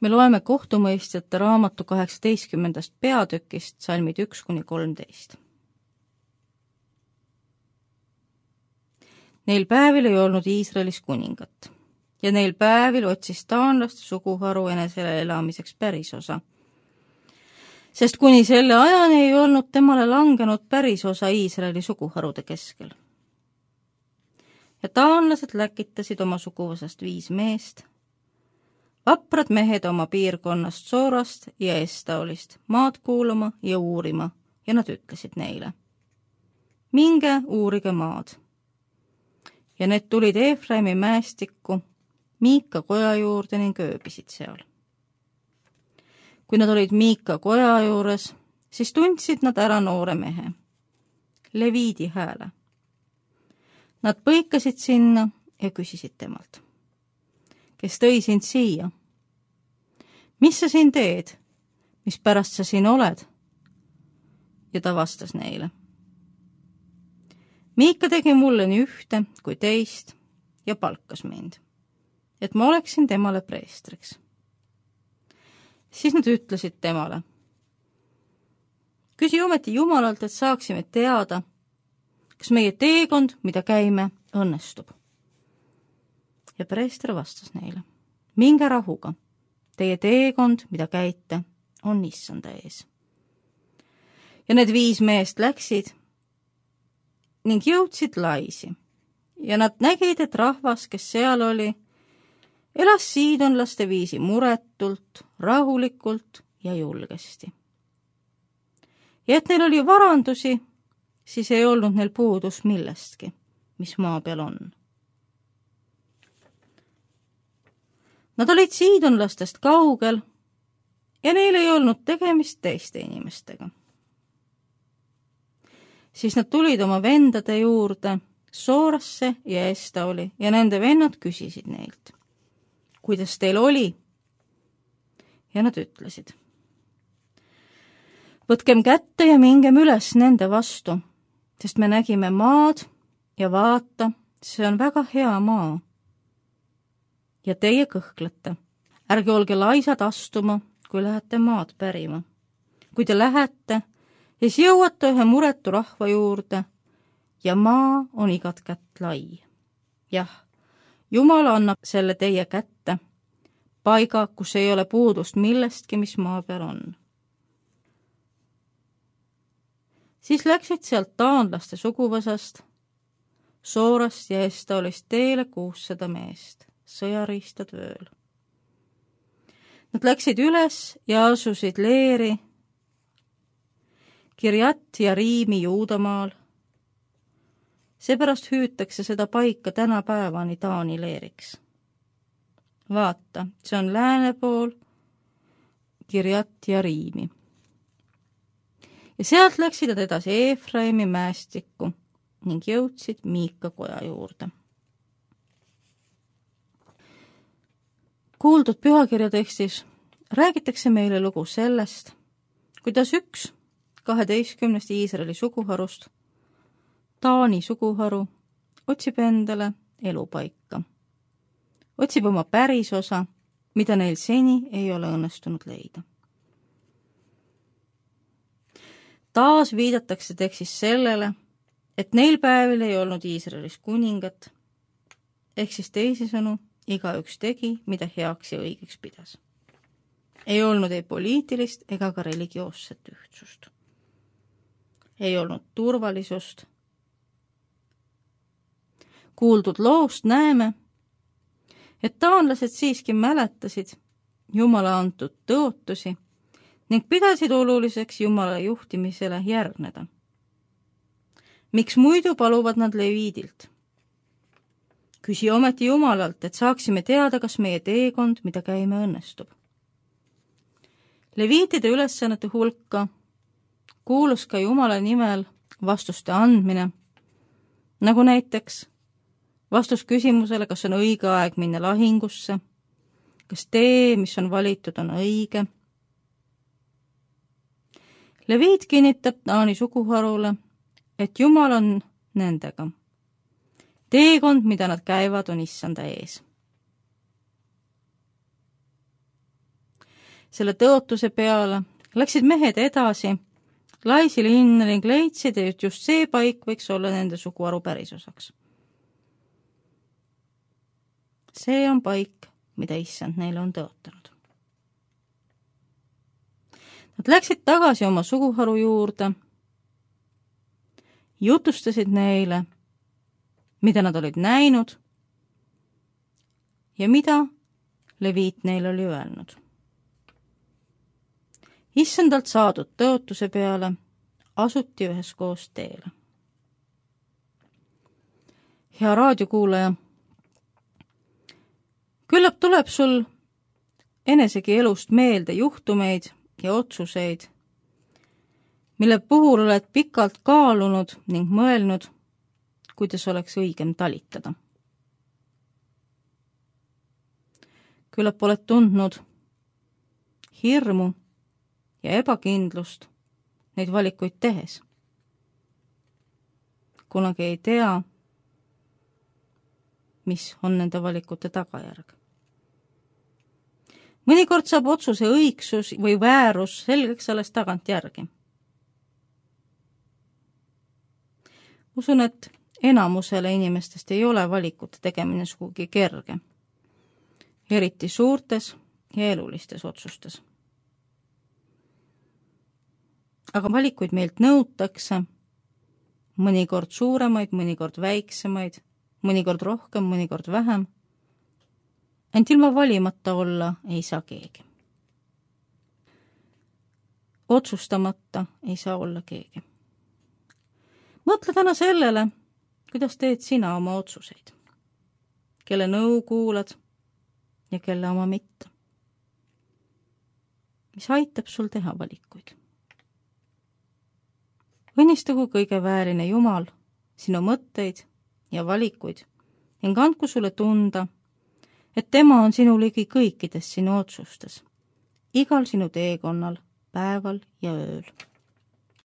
Me loeme kohtumõistjate raamatu 18. peatükist salmid 1-13. Neil päevil ei olnud Iisraelis kuningat ja neil päevil otsis taanlaste suguharu enesele elamiseks pärisosa. Sest kuni selle ajani ei olnud temale langenud pärisosa Iisraeli suguharude keskel. Ja taanlased läkitasid oma suguvõsast 5 meest, vaprad mehed oma piirkonnast Soorast ja Estaolist maad kuulama ja uurima ja nad ütlesid neile: minge uurige maad. Ja need tulid Efraimi mäestikku Miika koja juurde ning ööbisid seal. Kui nad olid Miika koja juures, siis tundsid nad ära noore mehe, Leviidi hääle. Nad põikasid sinna ja küsisid temalt: kes tõi sind siia? Mis sa siin teed? Mis pärast sa siin oled? Ja ta vastas neile: Miika tegi mulle nii ühte kui teist ja palkas mind, et ma oleksin temale preestriks. Siis nad ütlesid temale: küsi ometi Jumalalt, et saaksime teada, kas meie teekond, mida käime, õnnestub. Ja preester vastas neile: minge rahuga, teie teekond, mida käite, on Issanda ees. Ja need 5 meest läksid ning jõudsid Laisi ja nad nägid, et rahvas, kes seal oli, elas siidonlaste viisi muretult, rahulikult ja julgesti. Ja et neil oli varandusi, siis ei olnud neil puudus millestki, mis maa peal on. Nad olid siidonlastest kaugel ja neil ei olnud tegemist teiste inimestega. Siis nad tulid oma vendade juurde Soorasse ja Estaoli ja nende vennad küsisid neilt: kuidas teil oli? Ja nad ütlesid: võtkem kätte ja mingem üles nende vastu, sest me nägime maad ja vaata, see on väga hea maa. Ja teie kõhklete, ärge olge laisad astuma, kui lähete maad pärima. Kui te lähete, siis jõuate ühe muretu rahva juurde ja maa on igat kätt lai. Jah, Jumal annab selle teie kätte, paiga, kus ei ole puudust millestki, mis maa peal on. Siis läksid sealt taanlaste suguvõsast, Soorast ja Estaolist teele 600 meest, sõjariistad vööl. Nad läksid üles ja asusid leeri Kirjat ja Riimi Juudamaal. Seepärast hüütakse seda paika tänapäevani Taani leeriks. Vaata, see on lääne pool Kirjat ja Riimi. Ja sealt läksid nad edasi Efraimi mäestikku ning jõudsid Miika koja juurde. Kuuldud pühakirja tekstis räägitakse meile lugu sellest, kuidas üks 12 Iisraeli suguharust, Taani suguharu, otsib endale elupaika. Otsib oma pärisosa, mida neil seni ei ole õnnestunud leida. Taas viidatakse tekstis sellele, et neil päevil ei olnud Iisraelis kuningat, ehk siis teisisõnu, igaüks tegi, mida heaks ja õigeks pidas. Ei olnud ei poliitilist ega ka religioosset ühtsust. Ei olnud turvalisust. Kuuldud loost näeme, et taanlased siiski mäletasid Jumala antud tõotusi ning pidasid oluliseks Jumala juhtimisele järgneda. Miks muidu paluvad nad Leviidilt? Küsi ometi Jumalalt, et saaksime teada, kas meie teekond, mida käime, õnnestub. Leviitide ülesannete hulka kuulus ka Jumala nimel vastuste andmine, nagu näiteks vastus küsimusele, kas on õige aeg minna lahingusse, kas tee, mis on valitud, on õige. Leviit kinnitab Taani suguharule, et Jumal on nendega. Teekond, mida nad käivad, on Issanda ees. selle tõotuse peale läksid mehed edasi Laisi linna ning leidsid, et just see paik võiks olla nende suguharu pärisosaks. See on paik, mida issand neile on tõotanud. Nad läksid tagasi oma suguharu juurde, jutustasid neile, mida nad olid näinud ja mida Leviit neile oli öelnud. Issandalt saadud tõotuse peale asuti üheskoos teele. Hea raadiokuulaja, küllap tuleb sul enesegi elust meelde juhtumeid ja otsuseid, mille puhul oled pikalt kaalunud ning mõelnud, kuidas oleks õigem talitada. Küllap oled tundnud hirmu ja ebakindlust neid valikuid tehes. Kunagi ei tea, mis on nende valikute tagajärg. Mõnikord saab otsuse õigsus või väärus selgeks alles tagantjärgi. Usun, et enamusele inimestest ei ole valikute tegemine sugugi kerge, eriti suurtes ja elulistes otsustes. Aga valikuid meilt nõutakse, mõnikord suuremaid, mõnikord väiksemaid, mõnikord rohkem, mõnikord vähem. Ent ilma valimata olla ei saa keegi. Otsustamata ei saa olla keegi. Mõtle täna sellele, kuidas teed sina oma otsuseid, kelle nõu kuulad ja kelle oma mitte. Mis aitab sul teha valikuid? Õnnistagu kõige väärine Jumal sinu mõtteid ja valikuid ning andku sulle tunda, et tema on sinu ligi kõikides sinu otsustes, igal sinu teekonnal, päeval ja ööl.